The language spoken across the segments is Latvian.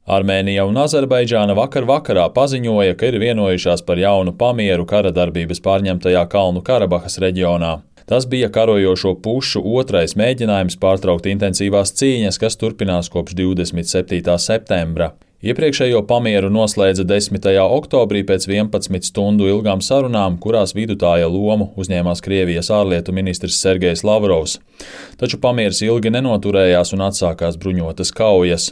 Armēnija un Azerbaidžāna vakar vakarā paziņoja, ka ir vienojušās par jaunu pamieru kara darbības pārņemtajā Kalnu Karabahas reģionā. Tas bija karojošo pušu otrais mēģinājums pārtraukt intensīvās cīņas, kas turpinās kopš 27. septembra. Iepriekšējo pamieru noslēdza 10. oktobrī pēc 11 stundu ilgām sarunām, kurās vidutāja lomu uzņēmās Krievijas ārlietu ministrs Sergejs Lavrovs. Taču pamieris ilgi nenoturējās un atsākās bruņotas kaujas.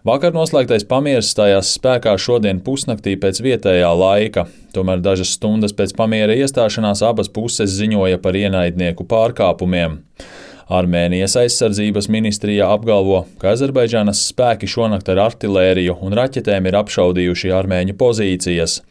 Vakar noslēgtais pamieris stājās spēkā šodien pusnaktī pēc vietējā laika, tomēr dažas stundas pēc pamiera iestāšanās abas puses ziņoja par ienaidnieku pārkāpumiem. Armēnijas aizsardzības ministrija apgalvo, ka Azerbaidžānas spēki šonakt ar artilēriju un raķetēm ir apšaudījuši armēņu pozīcijas.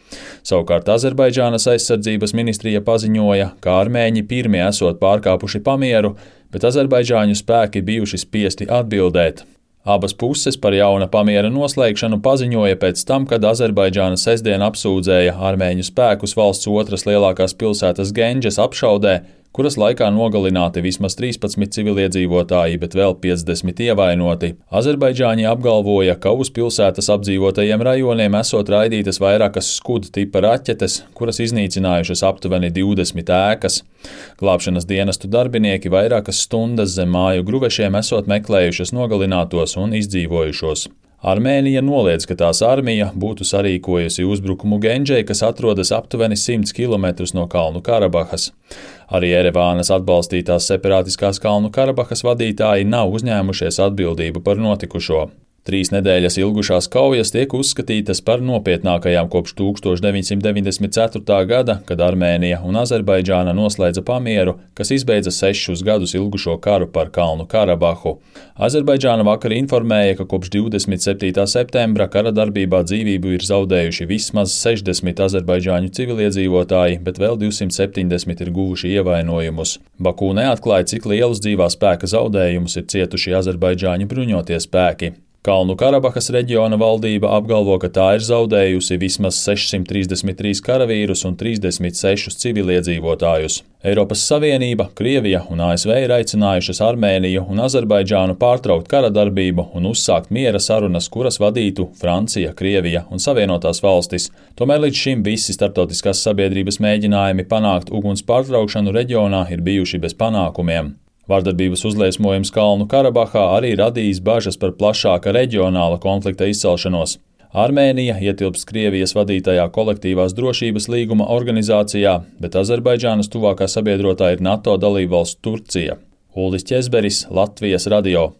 Savukārt Azerbaidžānas aizsardzības ministrija paziņoja, ka armēņi pirmie esot pārkāpuši pamieru, bet azerbaidžāņu spēki bijuši spiesti atbildēt. Abas puses par jauna pamiera noslēgšanu paziņoja pēc tam, kad Azerbaidžāna sestdien apsūdzēja armēņu spēkus valsts otras lielākās pilsētas Gendžas apšaudē, kuras laikā nogalināti vismaz 13 civiliedzīvotāji, bet vēl 50 ievainoti. Azerbaidžāņi apgalvoja, ka uz pilsētas apdzīvotajiem rajoniem esot raidītas vairākas Scud tipa raķetes, kuras iznīcinājušas aptuveni 20 ēkas. Glābšanas dienestu darbinieki vairākas stundas zem māju gruvešiem esot meklējušas nogalinātos un izdzīvojušos. Armēnija noliedz, ka tās armija būtu sarīkojusi uzbrukumu Gendžai, kas atrodas aptuveni 100 km no Kalnu Karabahas. Arī Erevānas atbalstītās separātiskās Kalnu Karabahas vadītāji nav uzņēmušies atbildību par notikušo. 3 nedēļas ilgušās kaujas tiek uzskatītas par nopietnākajām kopš 1994. gada, kad Armēnija un Azerbaidžāna noslēdza pamieru, kas izbeidza 6 gadus ilgušo karu par Kalnu Karabahu. Azerbaidžāna vakar informēja, ka kopš 27. septembra kara darbībā dzīvību ir zaudējuši vismaz 60 azerbaidžāņu civiliedzīvotāji, bet vēl 270 ir guvuši ievainojumus. Baku neatklāja, cik lielus dzīvā spēka zaudējumus ir cietuši azerbaidžāņu bruņotie spēki. Kalnu Karabahas reģiona valdība apgalvo, ka tā ir zaudējusi vismaz 633 karavīrus un 36 civiliedzīvotājus. Eiropas Savienība, Krievija un ASV ir aicinājušas Armēniju un Azerbaidžānu pārtraukt kara darbību un uzsākt miera sarunas, kuras vadītu Francija, Krievija un Savienotās valstis. Tomēr līdz šim visi starptautiskās sabiedrības mēģinājumi panākt uguns pārtraukšanu reģionā ir bijuši bez panākumiem. Vardarbības uzliesmojums Kalnu Karabahā arī radījis bažas par plašāka reģionāla konflikta izcelšanos. Armēnija ietilpst Krievijas vadītajā kolektīvās drošības līguma organizācijā, bet Azerbaidžānas tuvākā sabiedrotā ir NATO dalībvalsts Turcija. Uldis Ķezberis, Latvijas radio.